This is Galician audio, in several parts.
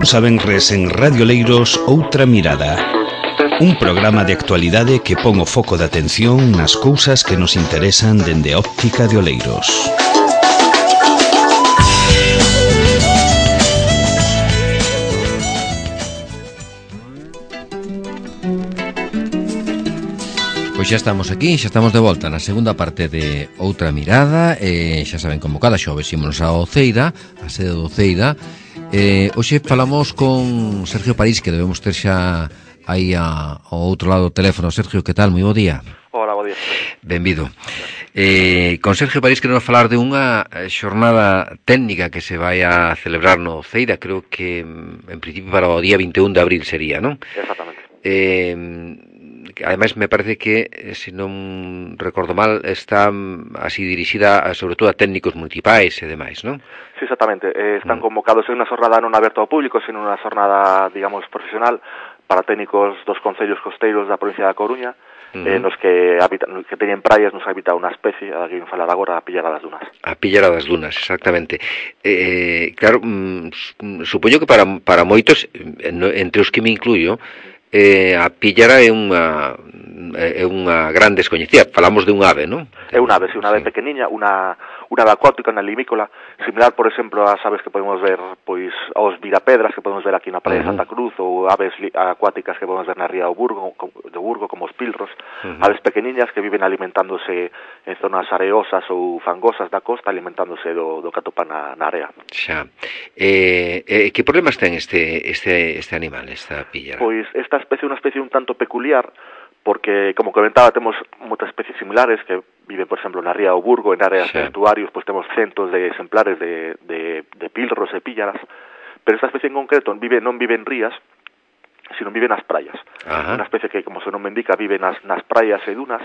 Saben res en Radio Leiros Outra Mirada. Un programa de actualidade que pon o foco de atención nas cousas que nos interesan dende a óptica de Oleiros. Pois xa estamos aquí, xa estamos de volta na segunda parte de Outra Mirada. Xa saben, como cada xoves ímonos a Oceira, a sede do Oceira. Hoxe falamos con Sergio París, que debemos ter xa aí ao outro lado do teléfono. Sergio, que tal? Moi bo día. Hola, bo día. Benvido. Con Sergio París queremos falar de unha xornada técnica que se vai a celebrar no Oceira, creo que en principio para o día 21 de abril sería, non? Exactamente. Ademais, me parece que, se non recordo mal, está así dirixida sobre todo a técnicos municipais e demais, non? Sí, exactamente. Están convocados en unha xornada non aberta ao público, sino unha xornada, digamos, profesional para técnicos dos concellos costeiros da provincia da Coruña, nos que teñen praias, nos habita unha especie, a que vim falar agora, a Pillera das Dunas. A Pillera das Dunas, exactamente. Claro, supoño que para moitos, entre os que me incluyo, a Pillera é unha gran descoñecida. Falamos de un ave, non? É unha ave, unha ave pequeniña, unha ave acuática, unha limícola, similar, por exemplo, ás aves que podemos ver, pois, aos virapedras que podemos ver aquí na praia de Santa Cruz, ou aves acuáticas que podemos ver na ría do Burgo, como os pilros, aves pequeniñas que viven alimentándose en zonas areosas ou fangosas da costa, alimentándose do que atopan na area. Xa. Que problemas ten este animal, esta pillera? Pois esta especie é unha especie un tanto peculiar, porque, como comentaba, temos moitas especies similares que viven, por exemplo, na ría do Burgo, en áreas de estuarios, pois temos centos de exemplares de pilros e píllaras, pero esta especie en concreto non vive en rías, sino vive nas praias. Unha especie que, como se non me indica, vive nas praias e dunas,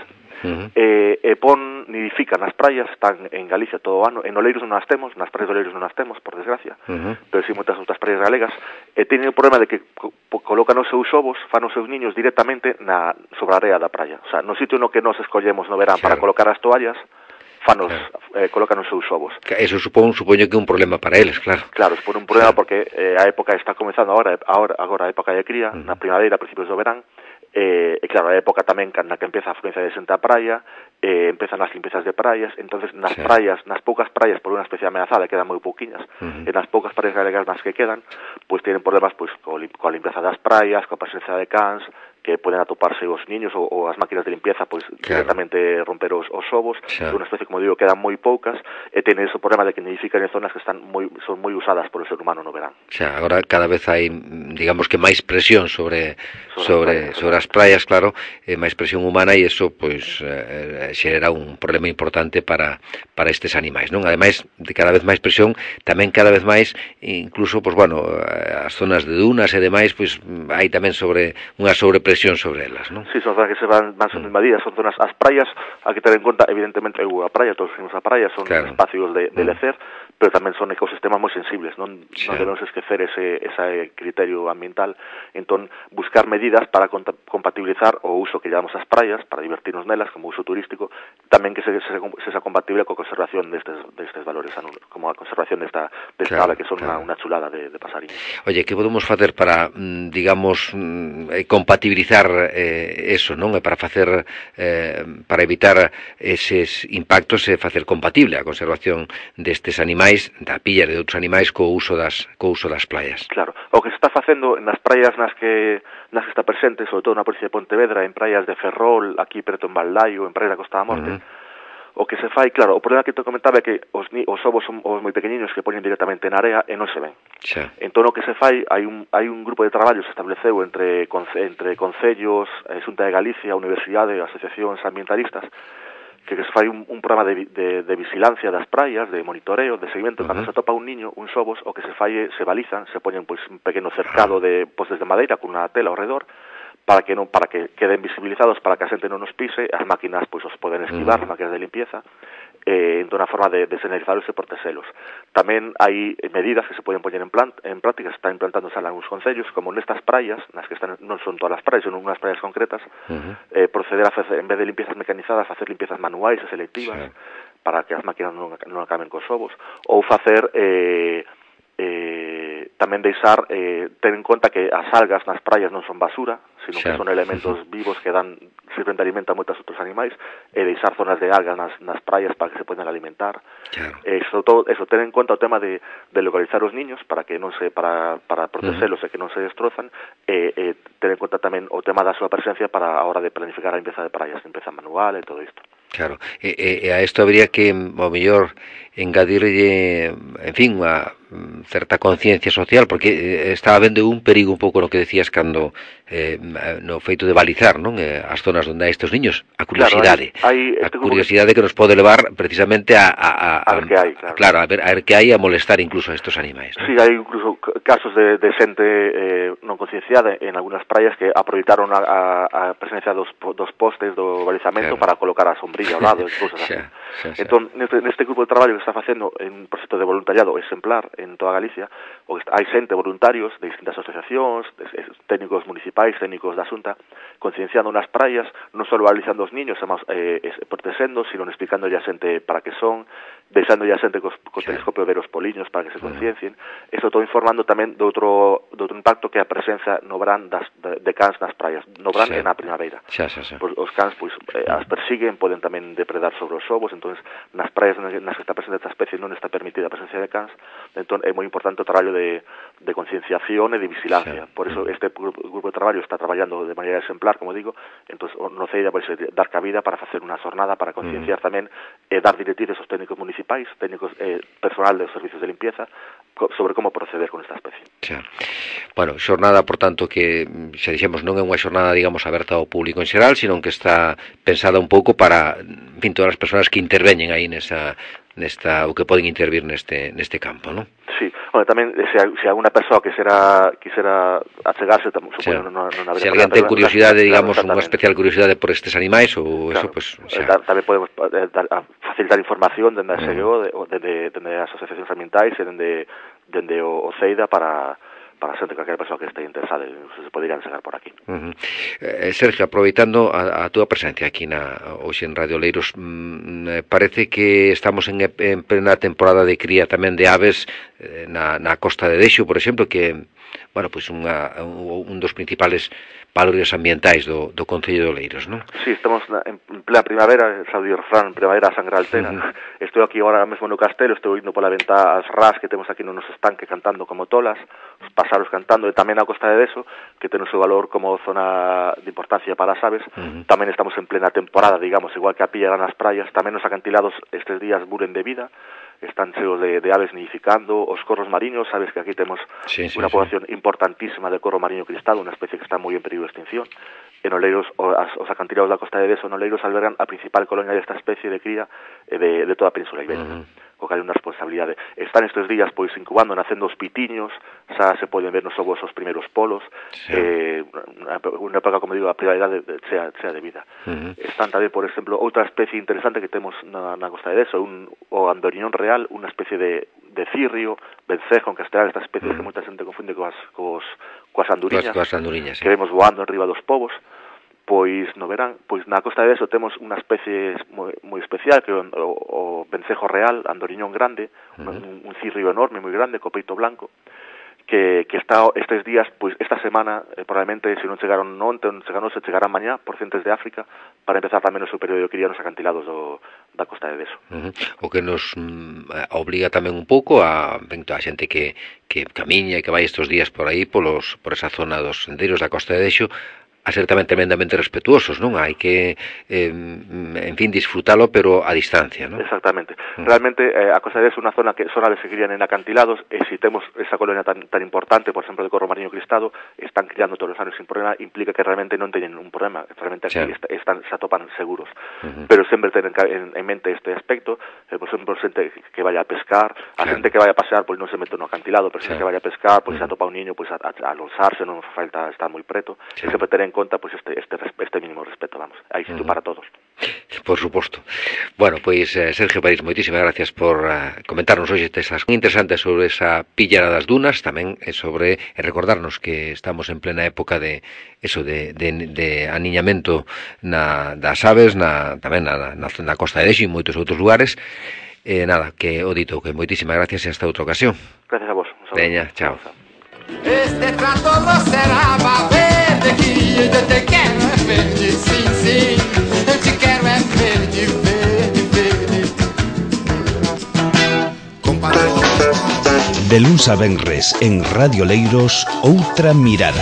nidifica nas praias, están en Galicia todo o ano, en Oleiros non as temos, nas praias de Oleiros non as temos, por desgracia, pero si moitas outras praias galegas, e teñen o problema de que colocan os seus ovos, fan os seus niños directamente sobre a area da praia. O sea, no sitio no que nos escollemos no verán para colocar as toallas, colocan os seus ovos. Eso supoño que é un problema para eles, claro. Claro, supone un problema porque a época está comenzando agora a época de cría, na primavera, a principios do verán, e claro, a época tamén na que empeza a afluencia de xente á praia, empezan as limpiezas de praias, entonces nas poucas praias por unha especie ameazada, quedan moi pouquiñas, e nas poucas praias galegas nas que quedan, pois tienen problemas pois coa limpieza das praias, coa presencia de cans, que poden atoparse os niños ou as máquinas de limpieza, pois directamente romper os ovos. É unha especie, como digo, quedan moi poucas, e teñen ese problema de que nidifican en zonas que son moi usadas por o ser humano no verán. Agora cada vez hai, digamos que máis presión sobre as praias, claro, máis presión humana, e iso pois xera un problema importante para estes animais, non? Ademais de cada vez máis presión, tamén cada vez máis, incluso, pois bueno, as zonas de dunas e demais, pois hai tamén unha sobrepresión sobre elas, non? Sí, son zonas que se van sendo invadidas, son zonas, as praias, hai que ter en conta, evidentemente, a praia, todos os a praia, son espacios de lecer, pero tamén son ecosistemas moi sensibles, non debemos esquecer ese criterio ambiental. Entón, buscar medidas para compatibilizar o uso que llevamos ás praias, para divertirnos nelas, como uso turístico, tamén que sea compatible coa conservación destes valores, como a conservación desta ave, que son unha chulada de pasariños. Oye, que podemos facer para, digamos, compatibilizar eso, non? Para facer, para evitar eses impactos e facer compatible a conservación destes animais, da pilla de outros animais, co uso das praias. Claro, o que se está facendo nas praias nas que está presente, sobre todo na provincia de Pontevedra, en praias de Ferrol, aquí preto en Valdaio, en praias da Costa da Morte, o que se fai, claro, o problema que te comentaba é que os ovos son os moi pequeniños que poñen directamente na area e non se ven. Entón, o que se fai, hai un grupo de traballo que se estableceu entre concellos, Xunta de Galicia, Universidade, asociacións ambientalistas, que se fai un programa de vigilancia das praias, de monitoreo, de seguimento. Cando se atopa un niño, uns ovos, o que se fai se balizan, se poñen pois un pequeno cercado de postes de madeira con unha tela ao redor, para que queden visibilizados, para que a xente non nos pise, as máquinas pois os poden esquivar, as máquinas de limpieza, entón a forma de señalizalos e proteselos. Tamén hai medidas que se poden poñer en práctica, se están implantando en algúns concellos, como nestas praias, nas que están, non son todas as praias, son unhas praias concretas, proceder a facer, en vez de limpiezas mecanizadas, facer limpiezas manuais e selectivas, para que as máquinas non acaben cos ovos, ou facer tamén deixar ter en conta que as algas nas praias non son basura, sino que son elementos vivos que sirven de alimento a moitos outros animais, e deixar zonas de algas nas praias para que se podan alimentar. Sobre todo, eso, ter en conta o tema de localizar os niños para que non se para protegelos e que non se destrozan, e ter en conta tamén o tema da súa presencia para a hora de planificar a limpeza de praias, limpeza manual e todo isto. Claro, e a isto habría que, ao mellor, engadirlle, en fin, unha certa conciencia social, porque está habendo un perigo un pouco no que decías cando no feito de balizar, non, as zonas onde hai estes niños, a curiosidade, a curiosidade que nos pode levar precisamente a ver que hai, claro, a ver que hai, a molestar incluso a estos animais, ¿no? Sí, hai incluso casos de xente non concienciada en algunhas praias que aproveitaron a presencia dos postes do balizamento para colocar a sombrilla ao lado e cousas así. Entón, neste grupo de traballo que está facendo en un proxecto de voluntariado exemplar en toda Galicia, hai xente, voluntarios de distintas asociacións, técnicos municipais, técnicos da Xunta, concienciando nas praias, non só balizando os niños, protexendo, sino explicando a xente para que son, deixando a xente co telescopio ver os poliños para que se conciencien. Isto todo informando tamén do outro impacto que é a presenza no verán de cans nas praias, no verán e na primavera. Os cans as persiguen, poden tamén depredar sobre os ovos, entonces nas praias nas que está presente esta especie non está permitida a presencia de cans, entón é moi importante o traballo de concienciación e de vigilancia. Por eso este grupo de traballo está traballando de maneira exemplar, como digo, entón no CEIDA vai dar cabida para facer unha xornada para concienciar tamén e dar directrices aos técnicos municipais, técnicos personal dos servicios de limpieza sobre como proceder con esta especie. Bueno, xornada, por tanto, que xa dixemos non é unha xornada, digamos, aberta ao público en xeral, sino que está pensada un pouco para, en fin, todas as persoas que interveñen aí nesta ou que poden intervir neste campo, non? Sí, bueno, tamén se alguna persoa quisera achegarse, supoño non habería. Se alguén ten curiosidade, digamos, unha especial curiosidade por estes animais ou eso, pues tamén podemos facilitar información dende a SGO, dende as asociacións ambientais e dende o CEIDA para xente, calquera persoa que este interesada, se poderían chegar por aquí. Sergio, aproveitando a túa presencia aquí hoxe en Radio Oleiros, parece que estamos en plena temporada de cría tamén de aves na Costa de Dexo, por exemplo, que, bueno, pois un dos principales valores ambientais do Concello de Oleiros, non? Sí, estamos en plena primavera, sabe o refrán, primavera sangre altera. Estou aquí agora mesmo no castelo, estou indo pola ventá as ras que temos aquí no noso estanque cantando como tolas, os pásaros cantando, e tamén a Costa de Dexo, que ten o seu valor como zona de importancia para as aves. Tamén estamos en plena temporada, digamos, igual que a pilla nas praias, tamén os acantilados estes días buren de vida, están cheos de aves nidificando, os corros mariños, sabes que aquí temos unha población importantísima de corro mariño cristado, unha especie que está moi en peligro de extinción. En Oleiros, os acantilados da Costa de Dexo en Oleiros albergan a principal colonia desta especie de cría de toda a Península Ibérica. Co cal é unha responsabilidade. Están estes días pois incubando, nacendo os pitiños, xa se poden ver nos ovos os primeiros polos, unha época, como digo, a prioridade sea de vida. Están tamén, por exemplo, outra especie interesante que temos na Costa de Dexo, o andoriñón real, unha especie de cirrio, vencejo en castellano, esta especie que moita xente confunde coas anduriñas, que vemos voando en riba dos povos. Pois no verán, pois na Costa de Dexo temos unha especie moi especial que é o vencejo real, andoriñón grande, un cirrio enorme, moi grande, co peito blanco, que está estes días, pois esta semana, probablemente, se non chegaron onte, se chegarán mañá, por centros de África, para empezar tamén o seu período de cría nos acantilados da Costa de Dexo. O que nos obliga tamén un pouco a xente que camiña e que vai estes días por aí, por esa zona dos sendeiros da Costa de Dexo, a ser tamén tremendamente respetuosos, non? Hai que, en fin, disfrutalo, pero a distancia, non? Exactamente. Realmente, a Costa de Dexo é unha zona que son aves que crían en acantilados, e se temos esa colonia tan importante, por exemplo, de corro mariño cristado, están criando todos os anos sin problema, implica que realmente non teñen un problema, realmente aquí se atopan seguros. Pero sempre tenen en mente este aspecto, por exemplo, xente que vaya a pescar, a xente que vaya a pasear, pois non se mete no acantilado, pero xente que vaya a pescar, pois se atopa un niño, pois a lanzarse, non falta estar moi preto, e sempre tener en conta pois este mínimo respeto, vamos, hai sitio para todos. Por suposto. Bueno, pois Sergio París, moitísimas gracias por comentarnos hoxe estas interesantes sobre esa pillada das dunas, tamén sobre recordarnos que estamos en plena época de aniñamento das aves, tamén na Costa de Dexo e moitos outros lugares. Nada, que o dito, que moitísimas gracias e hasta outra ocasión. Gracias a vos. Veña, chao. Este trato no será para verde, que eu te quero é verde, sim, sim. Eu te quero é verde, verde, verde. De luns a venres en Radio Leiros, Outra Mirada.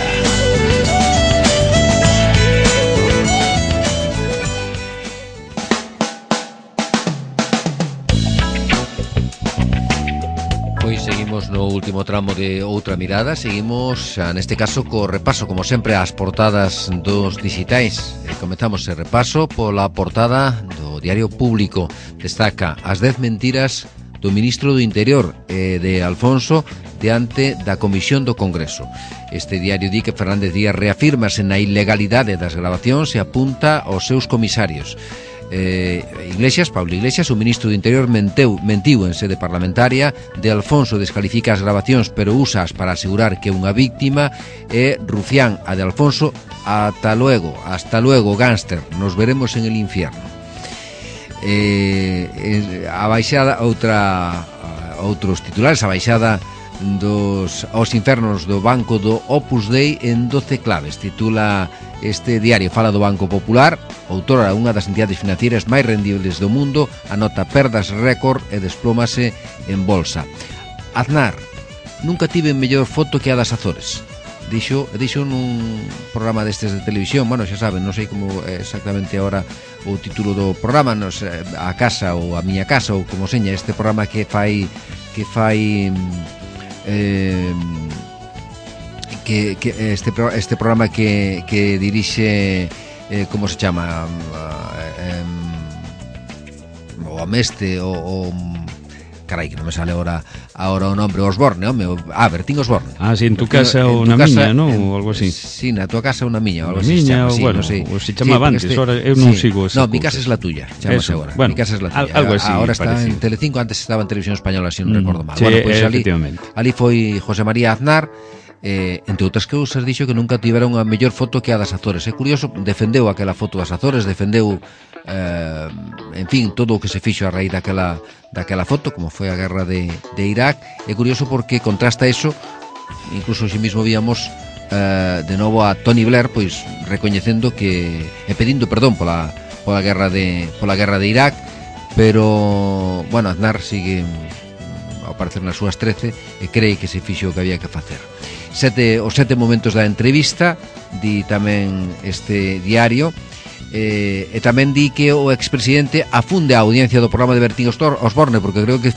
Pois seguimos no último tramo de Outra Mirada. Seguimos, xa, neste caso, co repaso, como sempre, ás portadas dos digitais. Comezamos ese repaso pola portada do Diario Público. Destaca as 10 mentiras do ministro do Interior, de Alfonso, diante da Comisión do Congreso. Este diario di que Fernández Díaz reafírmase na ilegalidade das grabacións e apunta aos seus comisarios. Pablo Iglesias, o ministro do Interior, mentiu en sede parlamentaria. De Alfonso descalifica as grabacións, pero úsaas para asegurar que é unha víctima. E Rufián, a de Alfonso: hasta luego, gánster, nos veremos en el infierno. A baixada, outros titulares: a baixada aos infernos do Banco do Opus Dei en 12 claves, titula este diario. Fala do Banco Popular, outora unha das entidades financieras máis rendibles do mundo, anota perdas récord e desplómase en bolsa. Aznar: nunca tive mellor foto que a das Azores. Dixo nun programa destes de televisión. Bueno, xa saben, non sei como exactamente agora o título do programa, a casa ou a miña casa, ou como seña este programa que fai este programa que dirixe, como se chama, o Ameste, o carai, que non me sale agora o nombre, Osborne, home, Bertín Osborne. Si, en tu casa ou na miña, non? Ou algo así. Si, na tua casa ou na miña, ou algo así. Miña, ou, bueno, ou se chamaba antes, ahora eu non sigo esa. No, mi casa es la tuya, chamase agora. Mi casa es la tuya. Algo así. Ahora está en Telecinco, antes estaba en Televisión Española, si non recordo mal. Sí, bueno, pues efectivamente. Ali foi José María Aznar. Entre outras cousas, dixo que nunca tivera unha mellor foto que a das Azores. É curioso, defendeu aquela foto das Azores, defendeu en fin, todo o que se fixo a raíz daquela foto, como foi a guerra de Irak. É curioso porque contrasta eso, incluso si mismo víamos de novo a Tony Blair, pois recoñecendo que pedindo perdón pola guerra de Irak, pero bueno, Aznar sigue ao parecer nas súas 13 e cree que se fixo o que había que facer. Os 7 momentos da entrevista, di tamén este diario. E tamén di que o expresidente afunde a audiencia do programa de Bertín Osborne, porque creo que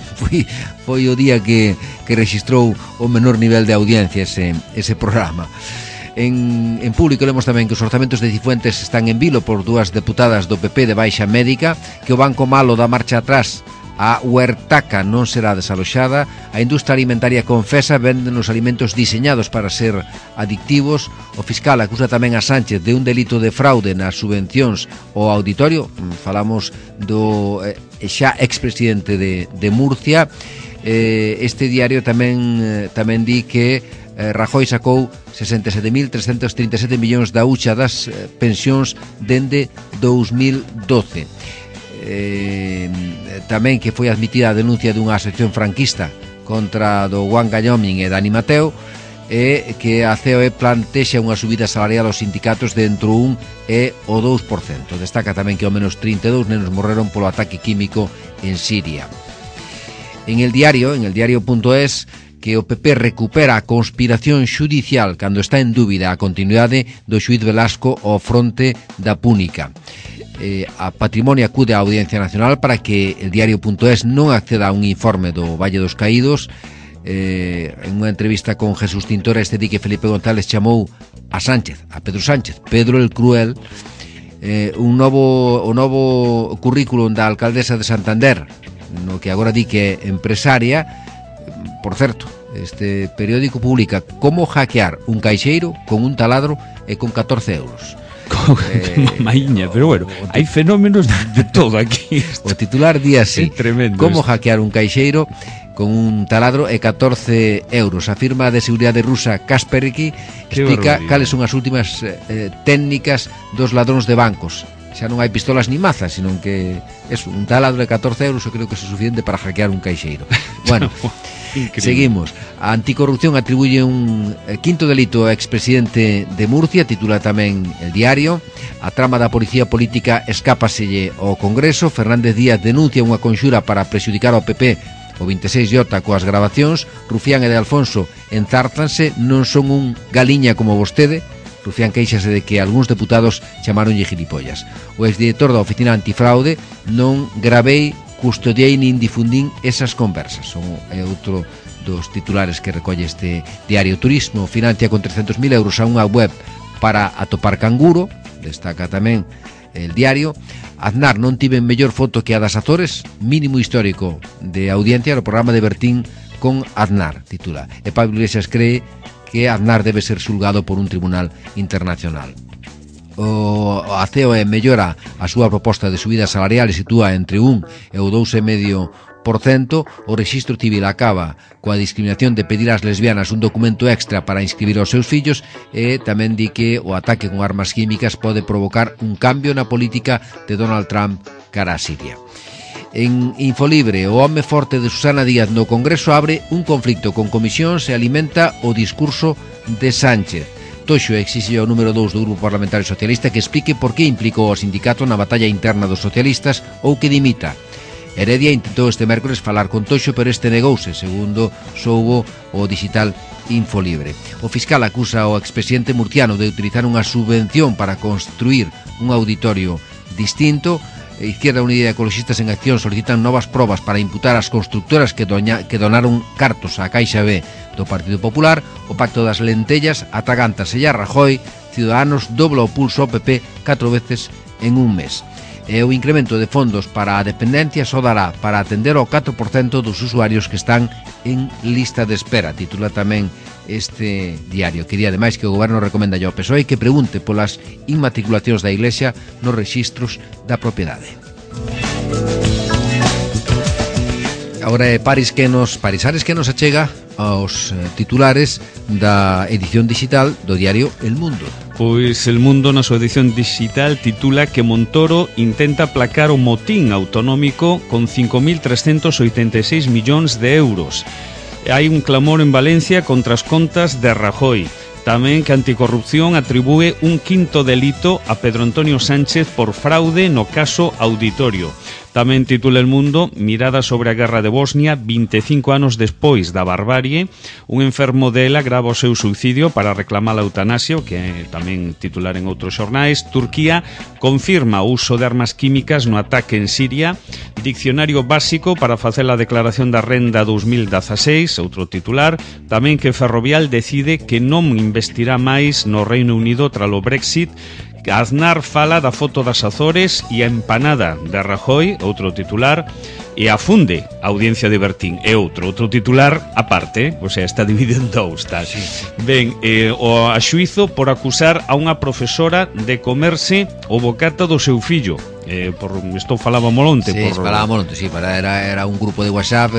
foi o día que registrou o menor nivel de audiencia ese programa. En Público lemos tamén que os orzamentos de Cifuentes están en vilo por 2 deputadas do PP de baixa médica, que o Banco Malo dá marcha atrás, a Huertaca non será desaloxada, a industria alimentaria confesa venden os alimentos diseñados para ser adictivos, o fiscal acusa tamén a Sánchez de un delito de fraude nas subvencións ao auditorio. Falamos do xa expresidente de Murcia. Este diario tamén di que Rajoy sacou 67.337 millóns da hucha das pensións dende 2012. Tamén que foi admitida a denuncia dunha sección franquista contra do Juan Gallomín e Dani Mateo, e que a COE plantexa unha subida salarial aos sindicatos de entre o 1 e o 2%. Destaca tamén que ao menos 32 nenos morreron polo ataque químico en Siria. En el diario.es, que o PP recupera a conspiración xudicial cando está en dúbida a continuidade do xuíz Velasco ao fronte da Púnica. A Patrimonio acude á Audiencia Nacional para que el diario.es non acceda a un informe do Valle dos Caídos. En unha entrevista con Jesús Tintora, este di que Felipe González chamou a Pedro Sánchez, Pedro el Cruel. O novo currículum da alcaldesa de Santander, no que agora di que é empresaria. Por certo, este periódico publica como hackear un caixeiro con un taladro e con 14 euros. Maiña, pero bueno, hai fenómenos de todo aquí. O titular di así: como hackear un caixeiro con un taladro e 14 euros. A firma de seguridade rusa Kaspersky explica cales son as últimas técnicas dos ladróns de bancos. xa non hai pistolas ni mazas, senón que un taladro de 14 euros eu creo que é suficiente para hackear un caixeiro. Bueno, seguimos. A Anticorrupción atribuye un quinto delito ao expresidente de Murcia, titula tamén El Diario. A trama da policía política escápaselle ao Congreso. Fernández Díaz denuncia unha conxura para prexudicar ao PP. O 26J coas grabacións. Rufián e de Alfonso enzártanse, non son un galiña como vostede. Rufián queixase de que algúns deputados chamaronlle gilipollas. O exdirector da Oficina Antifraude: non gravei, custodiei nin difundín esas conversas. É outro dos titulares que recolle este diario. Turismo financia con 300.000 euros a unha web para atopar canguro, destaca tamén el diario. Aznar: non tiven mellor foto que a das Azores, mínimo histórico de audiencia no programa de Bertín con Aznar, titula. E Pablo Iglesias cree que Aznar debe ser xulgado por un tribunal internacional. O COE mellora a súa proposta de subida salarial e sitúa entre 1 e o 2,5%. O Rexistro Civil acaba coa discriminación de pedir ás lesbianas un documento extra para inscribir aos seus fillos e tamén di que o ataque con armas químicas pode provocar un cambio na política de Donald Trump cara a Siria. En Infolibre, o home forte de Susana Díaz no Congreso abre un conflicto con comisións e alimenta o discurso de Sánchez. Toxo exixe ao número 2 do Grupo Parlamentario Socialista que explique por que implicou o sindicato na batalla interna dos socialistas ou que dimita. Heredia intentou este mércores falar con Toxo, pero este negouse, segundo soubo o digital Infolibre. O fiscal acusa ao expresidente murciano de utilizar unha subvención para construir un auditorio distinto. Izquierda Unida e Ecologistas en Acción solicitan novas probas para imputar as constructoras que donaron cartos á Caixa B do Partido Popular. O pacto das lentellas atragántase a Rajoy. Ciudadanos dobla o pulso ao PP 4 veces en un mes. E o incremento de fondos para a dependencia só dará para atender ao 4% dos usuarios que están en lista de espera, titula tamén este diario. Quería ademais que o goberno recomenda ao PSOE que pregunte polas inmatriculacións da Iglesia nos rexistros da propiedade. Agora é Paris Ares que nos achega aos titulares da edición digital do diario El Mundo. Pois El Mundo na súa edición digital titula que Montoro intenta aplacar o motín autonómico con 5.386 millóns de euros. Hai un clamor en Valencia contra as contas de Rajoy. Tamén que Anticorrupción atribúe un quinto delito a Pedro Antonio Sánchez por fraude no caso Auditorio. Tamén titula El Mundo: mirada sobre a guerra de Bosnia 25 anos despois da barbarie. Un enfermo dela grava o seu suicidio para reclamar a eutanasia, que é tamén titular en outros xornais. Turquía confirma o uso de armas químicas no ataque en Siria. Diccionario básico para facer a declaración da renda 2016, outro titular. Tamén que Ferrovial decide que non investirá máis no Reino Unido tras o Brexit. Aznar fala da foto das Azores e a empanada de Rajoy, outro titular, e afunde a audiencia de Bertín, é outro titular aparte, o sea, está dividido en dous, tal. Sí. Ben, o a xuizo por acusar a unha profesora de comerse o bocata do seu fillo. Por isto falaba molonte. Sí, falaba molonte, sí, era un grupo de WhatsApp,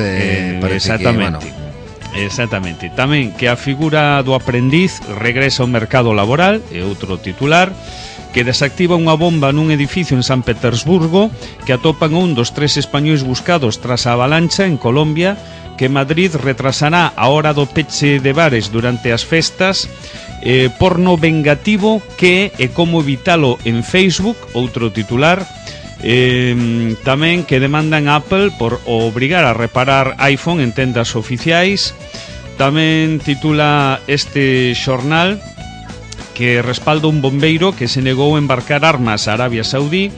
exactamente. Que, bueno. Exactamente. Tamén que a figura do aprendiz regresa ao mercado laboral, é outro titular. Que desactiva unha bomba nun edificio en San Petersburgo, que atopan un dos 3 españois buscados tras a avalancha en Colombia, que Madrid retrasará a hora do peche de bares durante as festas, porno vengativo que e como evitalo en Facebook, outro titular. Tamén que demandan a Apple por obrigar a reparar iPhone en tendas oficiais. Tamén titula este xornal que respalda un bombeiro que se negou a embarcar armas a Arabia Saudí,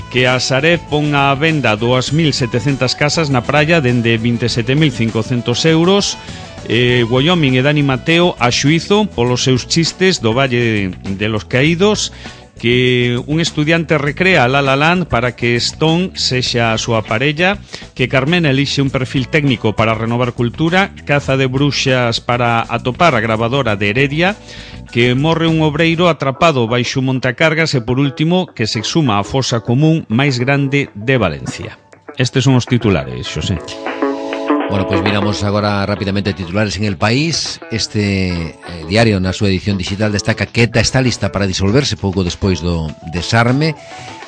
que a Sareb pon a venda 2.700 casas na praia dende 27.500 euros. Wyoming e Dani Mateo a xuizo polos seus chistes do Valle de los Caídos. Que un estudiante recrea La La Land para que Stone sexa a súa parella, que Carmen elixe un perfil técnico para renovar cultura, caza de bruxas para atopar a gravadora de Heredia, que morre un obreiro atrapado baixo montacargas e, por último, que se exhuma a fosa común máis grande de Valencia. Estes son os titulares, Xosé. Bueno, pues miramos agora rapidamente titulares en El País. Este diario, na súa edición digital, destaca que ETA está lista para disolverse pouco despois do desarme.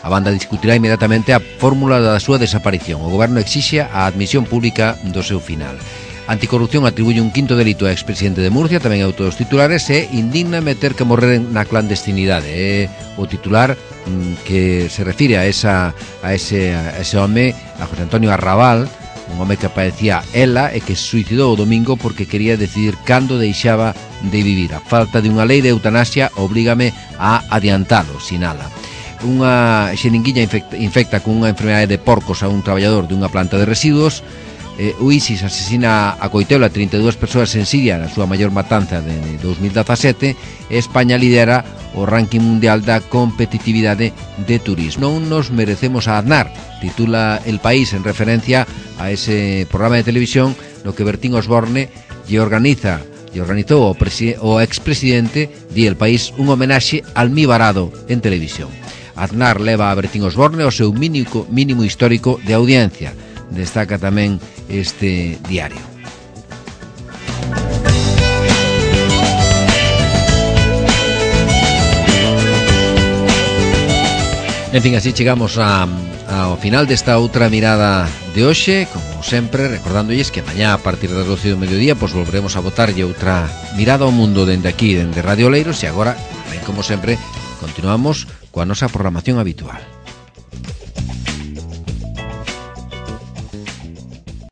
A banda discutirá inmediatamente a fórmula da súa desaparición. O goberno exixe a admisión pública do seu final. Anticorrupción atribuye un quinto delito ao expresidente de Murcia, tamén é outro dos titulares, e indigna meter que morrer na clandestinidade. É o titular que se refire a ese home, a José Antonio Arrabal, un home que aparecía ela e que se suicidou o domingo porque quería decidir cando deixaba de vivir. A falta de unha lei de eutanasia obrígame a adiantalo, sinala. Unha xeringuilla infecta con unha enfermedade de porcos a un traballador dunha planta de residuos. O ISIS asesina a coitelo a 32 persoas en Siria na súa maior matanza de 2017 e España lidera o ranking mundial da competitividade de turismo. Non nos merecemos a Aznar, titula El País en referencia a ese programa de televisión no que Bertín Osborne lle organizou o expresidente, di El País, un homenaxe almibarado en televisión. Aznar leva a Bertín Osborne o seu mínimo histórico de audiencia, destaca tamén este diario. En fin, así chegamos ao final desta outra mirada de hoxe. Como sempre, recordándolles que mañá a partir das 12 do mediodía pois volveremos a botarlle outra mirada ao mundo dende aquí, dende Radio Oleiros. E agora, ben como sempre, continuamos coa nosa programación habitual.